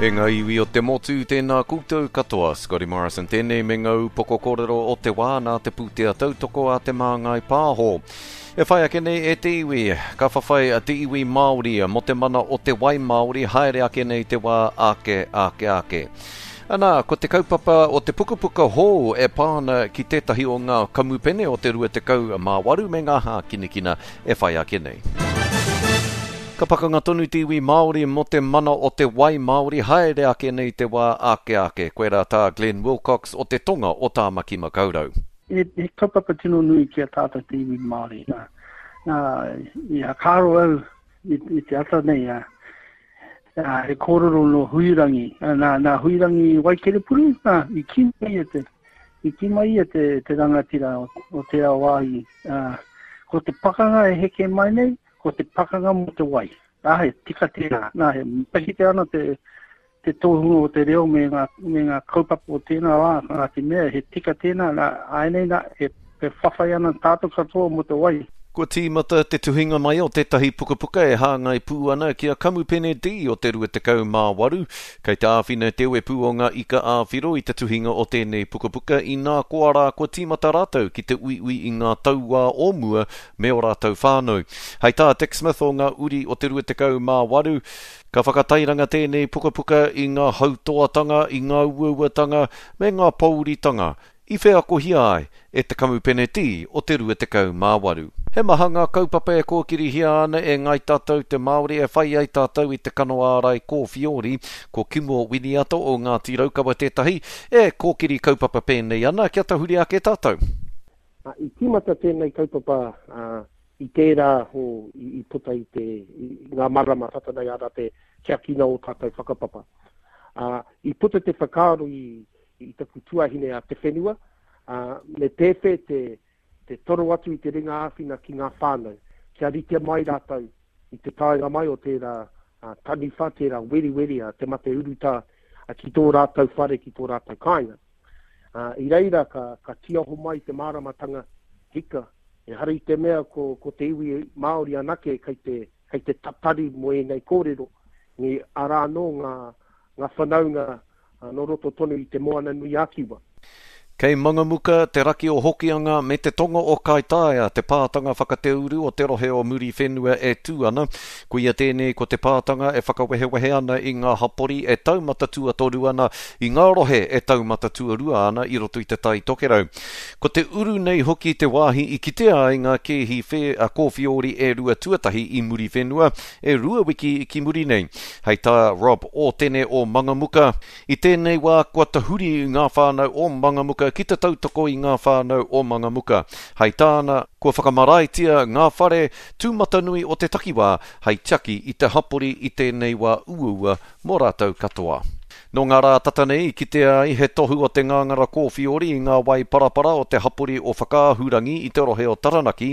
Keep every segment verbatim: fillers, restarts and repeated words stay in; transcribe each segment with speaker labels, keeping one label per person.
Speaker 1: E ngā iwi o te motu, tēnā koutou katoa. Scotty Morrison tēnei me ngā upoko kōrero o te wā nā te pūtea tautoko a Te Māngai Pāho. E whai ake nei e te iwi, ka whawhai te iwi Māori mō te mana o te wai Māori haere ake nei te wā ake, ake, ake. Ana, ko te kaupapa o te pukapuka hou e pā ana ki tētahi o ngā kamupene o te rua tekau mā waru me ngā hākinakina e whai ake nei. Ka pakanga tonu te iwi Māori mō te mana o te wai Māori haere ake nei te wā ake ake. Koirā tā Glenn Wilcox o te tonga o Tāmaki Makaurau.
Speaker 2: He, he kaupapa tino nui ki a tātou te iwi Māori. Nā, nā, i whakaaro au i, i te ata nei, a, a, he kōrero nō Huirangi, a, nā, nā Huirangi Waikerepuru, nā, i kī mai ia te, i kī mai ia te, te rangatira o, o tērā wāhi, a, ko te pakanga e heke mai nei, ko te pakanga mō te wai. Nā, he tika tērā. Nā, he matakite ana te, te tohunga o te reo me ngā, me ngā kaupapa o tēnā wā, nā te mea, he tika tēnā, nā, āinei nā, he, he whawhai ana tātou katoa mō te wai.
Speaker 1: Kua tīmata te tuhinga mai o tētahi pukapuka e hāngai pū ana ki a Kamupene D o te rua tekau mā waru. Kei te āwhina te uepu o ngā ika ā-whiro i te tuhinga o tēnei pukapuka inā koa rā kua tīmata rātou ki te uiui i ngā tauā o mua me ō rātou whānau. Hei tā Dick Smith o ngā uri o te rua tekau mā waru, ka whakatairanga tēnei pukapuka i ngā hautoatanga, i ngā uauatanga me ngā pouritanga i wheakohia ai e te Kamupene D o te rua tekau mā waru. He maha ngā kaupapa e kōkirihia ana e Ngāi Tātou te Māori e whai ai tātou i te kano ārai kōwhiori, ko Kimo Winiata o Ngāti Raukawa tētahi, e kōkiri kaupapa pēnei ana kia tahuri ake tātou.
Speaker 3: I tīmata tēnei kaupapa i tērā ho i puta i te i ngā marama tata nei arā te tiakina o tātou whakapapa. I puta te whakaaro i i taku tuahine a Te Whenua, ā, me pēwhē te, te toro atu i te ringa āwhina ki ngā whānau, kia rite mai rātou i te taenga mai o tērā taniwha, tērā weriweri a te mate urutā ki tō rātou whare, ki tō rātou kāinga. Ā, i reira ka, ka tiaho mai te māramatanga hika, ehara i te mea ko, ko te iwi Māori anake kei te, kei te tatari mō ēnei kōrero, ngi, arā anō ngā, ngā whanaunga nō roto tonu i Te Moana-nui-a-Kiwa.
Speaker 1: Kei Mangamuka, te raki o Hokianga me te tonga o Kaitaia te pātanga whakateuru o te rohe o Muriwhenua e tū ana. Koia tēnei ko te pātanga e whakawehewehe ana i ngā hapori e taumata tuatoru ana, i ngā rohe e taumata tuarua ana i roto i Te Tai Tokerau. Ko te uru nei hoki te wāhi i kitea ai ngā kēhi whē a Kōwhiori e rua tuatahi i Muriwhenua e rua wiki ki muri nei. Hei tā Rob Ōtene o Mangamuka, I tēnei wā kua tahuri ngā whānau o Mangamuka ki te tautoko i ngā whānau o Mangamuka. Hei tāna, kua whakamaraetia ngā whare tūmatanui o te takiwā hei tiaki i te hapori i tēnei wā uaua mō rātou katoa. Nō ngā rā tata nei i kitea ai he tohu o te ngāngara kōwhiori i ngā wai parapara o te hapori o Whakaahurangi i te rohe o Taranaki.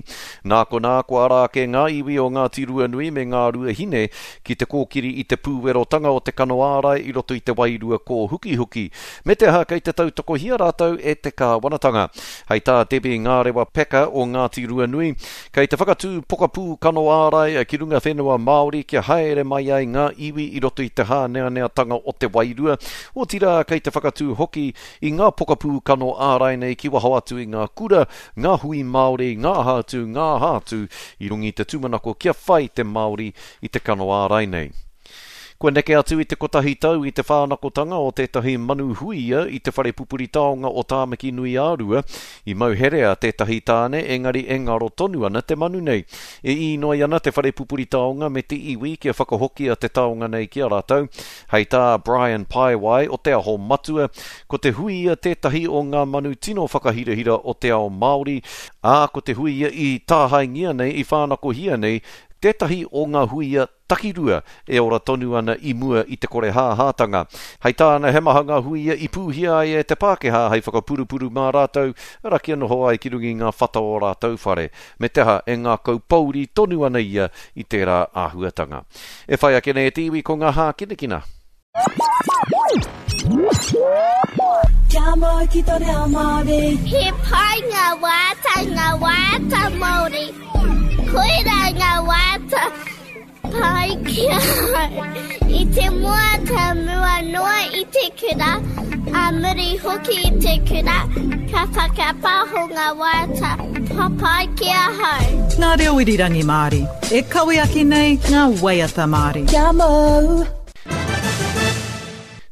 Speaker 1: Nā konā kua ara ake ngā iwi o Ngāti Ruanui me Ngā Ruahine ki te kōkiri i te pūwerotanga o te kano ārai i roto i te wairua kōhukihuki, me te aha kei te tautokohia rātou e te kāwanatanga. Hei tā Debbie Ngārewa Packer o Ngāti Ruanui, kei te whakatū pokapū kano ārai ki runga whenua Māori kia haere mai ai ngā iwi i roto i te hāneaneatanga o te wairua, otirā kei te whakatū hoki i ngā pokapū kano ārai nei ki waho atu i ngā kura, ngā hui Māori, ngā aha atu, ngā aha atu, i runga i te tūmanako kia whai te Māori i te kano ārai nei. Kua neke atu i te kotahi tau i te whānakotanga o tētahi manu huia i te whare pupuri taonga o Tāmaki Nui-ā-Rua, i mau herea tētahi tāne engari e ngaro tonu ana te manu nei. E īnoi ana te whare pupuri taonga me te iwi kia whakahokia te taonga nei ki a rātou. Hei tā Brian Paewai o Te Aho Matua, ko te huia tētahi o ngā manu tino whakahirahira o te ao Māori, ā, ko te huia i tāhaengia nei, i whānakohia nei, tētahi o ngā huia takirua e ora tonu ana i mua i te korehāhātanga. Hei tāna, he maha ngā huia i pūhia ai e te Pākehā hei whakapurupuru mā rātou, arā kia noho ai ki runga i ngā whata o rātou whare, me te aha e ngākau pouri tonu ana ia i tērā āhuatanga. E whai ake nei e te iwi ko ngā hākinakina.
Speaker 4: Kia mau ki to reo Māori.
Speaker 5: He pai ngā wāta, ngā wāta Māori. Koirā ngā wāta Pai ki ahau. I te mua ka mua noa i te kura, a muri hoki i te kura, ka whakapaho ngā waiata papai ki ahau.
Speaker 6: Ngā reo irirangi Māori, e kawe ake nei ngā waiata Māori.
Speaker 4: Kia mau!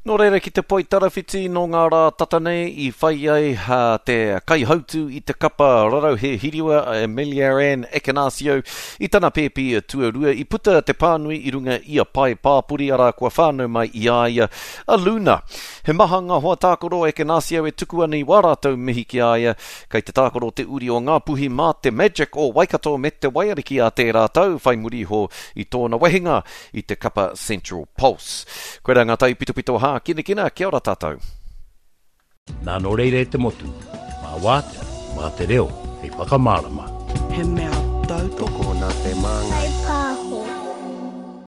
Speaker 1: Nō reira ki te poitarawhiti nō ngā rā tata nei i whai ai ha, te kaihautu i te kapa Rarauhe Hiriwa Amelia Ann Ekenasio i tana pēpi tuarua i puta te pānui i runga i a pae pāpori arā kua whānau mai i a ia a Luna. He maha ngā hoa tākaro Ekenasio e tuku ana i wā rātou mihi ki a ia kei te tākaro te uri o Ngāpuhi mā te Magic o Waikato me te Waiariki a tērā tau whai muri iho i tōna wehenga i te kapa Central Pulse. Koirā ngā taipitopito hākinakina, kia ora tātou.
Speaker 7: Nā nō reira e te motu, mā wātea, mā te reo, hei whakamārama.
Speaker 8: He mea tautoko
Speaker 3: Tokona te māngai.